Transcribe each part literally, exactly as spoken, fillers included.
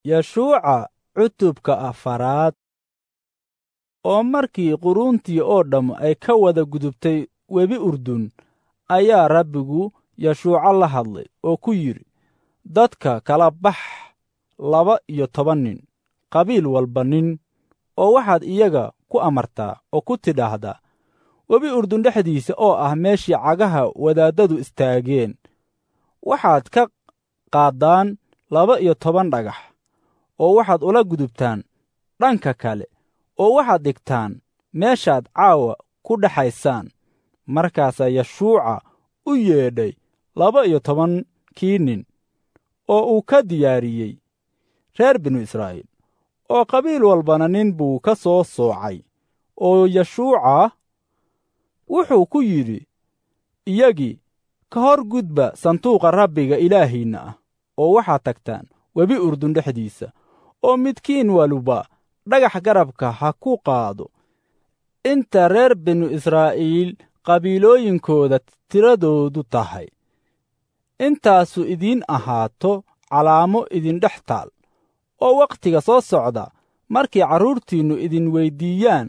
Yeshuuca cutubka afaraad. Oo markii quruuntii oo dhamm ay ka wada gudubtay webi Urdun, ayaa Rabbigu Yeshuuca la hadlay oo ku yidhi, dadka kala bax laba iyo toban nin, qabiil walba nin, oo waxaad iyaga ku amartaa oo ku tidhaahdaa, webi Urdun dhexdiisa oo ah meeshii cagaha wadaaddadu istaageen, waxaad ka qaaddaan laba iyo toban dhagax, oo waxaad ula gudubtaan dhanka kale, oo waxaad dhigtaan meeshaad caawa ku dhexaysaan. Markaasaa Yeshuuca u yeedhay laba iyo tobankii nin oo uu ka diyaariyey reer binu Israa'iil, oo qabiil walbana nin buu ka soo soocay. Oo Yeshuuca wuxuu ku yidhi iyagii, ka hor gudba sanduuqa Rabbiga Ilaahiinna ah, oo waxaad tagtaan webi Urdun dhexdiisa, oo midkiin waluba dhagax garabka ha ku qaado inta reer binu Israa'iil qabiilooyinkooda tiradoodu tahay. Intaasu idiin ahaato calaamo idindhex taal, oo wakhtiga soo socda markay carruurtiinnu idin weyddiiyaan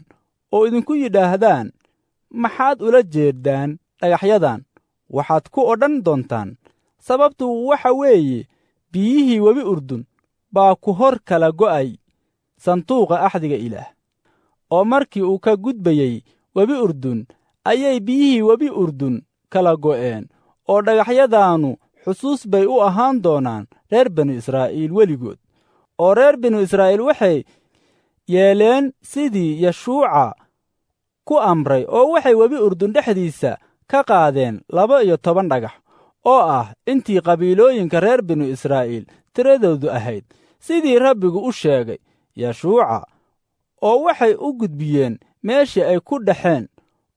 oo idinku yidhaahdaan, maxaad ula jeeddaan dhagaxyadan? Waxaad ku odhan doontaan, sababtu waxa weeye biyihii webi Urdun baa ku hor kala go'ay sanduuqa axdiga Ilaah. Oo markii uu ka gudbayey webi Urdun ayay biyihii webi Urdun kala go'een, oo dhagaxyadaannu xusuus bay u ahaan doonaan reer binu Israa'iil weligood. Oo reer binu Israa'iil waxay yeeleen sidii Yeshuuca ku amray, oo waxay webi Urdun dhexdiisa ka qaadeen laba iyo toban dhagax, oo ah intii qabiilooyinka reer binu Israa'iil tiradoodu ahayd, sidii Rabbigu u sheegay Yeshuuca, oo waxay u gudbiyeen meeshii ay ku dhexeen,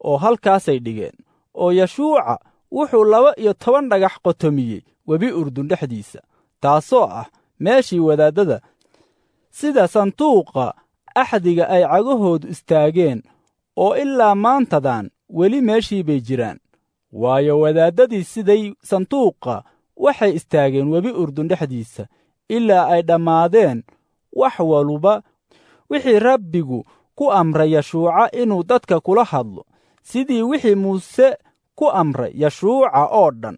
oo halkaasay dhigeen. Oo Yeshuuca wuxuu laba iyo toban dhagax qotomiyey webi Urdun dhexdiisa, taasoo ah meeshii wadaaddada sida sanduuqa axdiga ay cagahoodu istaageen, oo ilaa maantadan weli meeshii bay jiraan. Waayo, wadaaddadii siday sanduuqa waxay istaageen webi Urdun dhexdiisa ilaa ay dhammaadeen wax waluba wixii Rabbigu ku amray Yeshuuca inuu dadka kula hadlo, sidii wixii Muuse ku amray Yeshuuca oo dhan.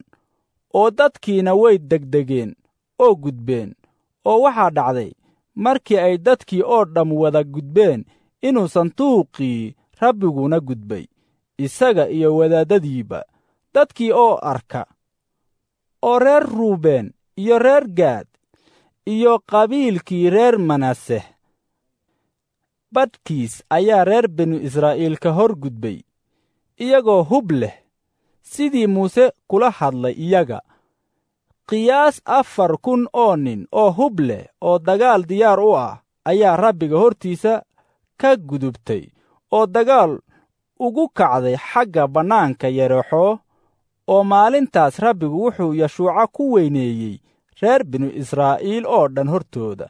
Oo dadkiina way degdegeen oo gudbeen. Oo waxaa dhacday markii ay dadkii oo dhamm wada gudbeen inuu sanduuqii Rabbiguna gudbay, isaga iyo wadaaddadiiba, dadkii oo arka. Oo reer Ruubeen iyo reer Gaad iyo qabiilkii reer Manaseh badhkiis ayaa reer binu Israa'iil ka hor gudbay, iyagoo hub leh, sidii Muuse kula hadlay iyaga. Qiyaas afar kun oo nin oo hub leh oo dagaal diyaar u ah ayaa Rabbiga hortiisa ka gudubtay oo dagaal ugu kacday xagga bannaanka Yerexo. Oo maalintaas Rabbigu wuxuu Yeshuuca ku weyneeyey reer binu Israa'iil oo dhan hortooda,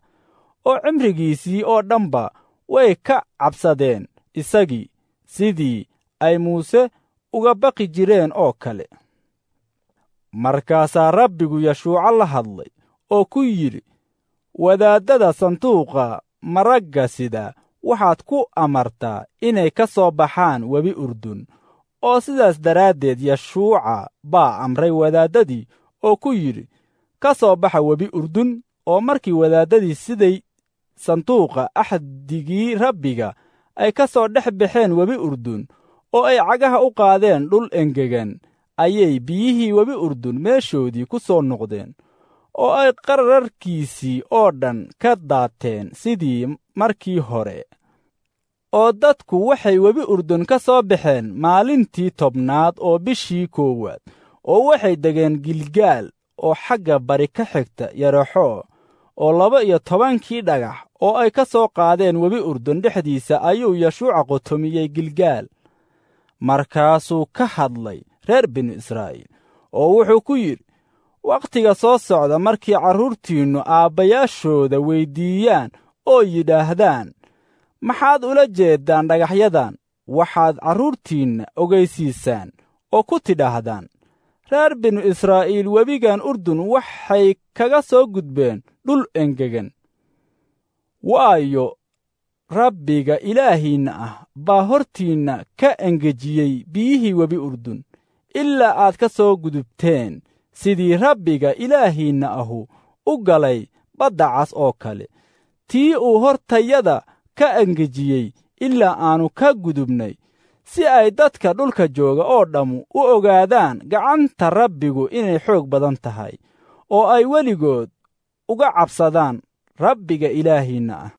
oo cimrigiisii oo dhanba way ka cabsadeen isagii, sidii ay Muuse uga baqi jireen oo kale. Markaasaa Rabbigu Yeshuuca la hadlay oo ku yidhi, wadaaddada sanduuqa maragga sida waxaad ku amartaa inay ka soo baxaan webi Urdun. Oo sidaas daraaddeed Yeshuuca baa amray wadaaddadii oo ku yidhi, ka soo baxa webi Urdun. Oo markii wadaaddadii siday sanduuqa axdigii Rabbiga ay ka soo dhex baxeen webi Urdun, oo ay cagaha u qaadeen dhul engegan, ayay biyihii webi Urdun meeshoodii ku soo noqdeen, oo ay qararkiisii oo dhan ka daateen sidii markii hore. Oo dadku waxay webi Urdun ka soo baxeen maalintii tobnaad oo bishii koowaad, oo waxay degeen Gilgaal oo xagga bari ka xigta Yerexo. Oo laba iyo tobankii dhagax oo ay ka soo qaadeen webi Urdun dhexdiisa ayuu Yeshuuca qotomiyey Gilgaal. Markaasuu ka hadlay reer binu Israa'iil oo wuxuu ku yidhi, wakhtiga soo socda markii carruurtiinnu aabbayaashooda weyddiiyaan oo yidhaahdaan, maxaad ula jeeddaan dhagaxyadan? Waxaad carruurtiinna ogeysiisaan oo ku tidhaahdaan, reer binu Israa'iil webigan Urdun waxay kaga soo gudbeen dhul engegan. Waayo, Rabbiga Ilaahiinna ah baa hortiinna ka engejiyey biyihii webi Urdun ilaa aad ka soo gudubteen, sidii Rabbiga Ilaahiinna ahu u galay badda cas oo kale, tii uu hortayada ka engejiyey ilaa aannu ka gudubnay, si ay dadka dhulka jooga oo dhammu u ogaadaan gacanta Rabbigu inay xoog badan tahay, oo ay weligood uga cabsadaan Rabbiga Ilaahiinna ah.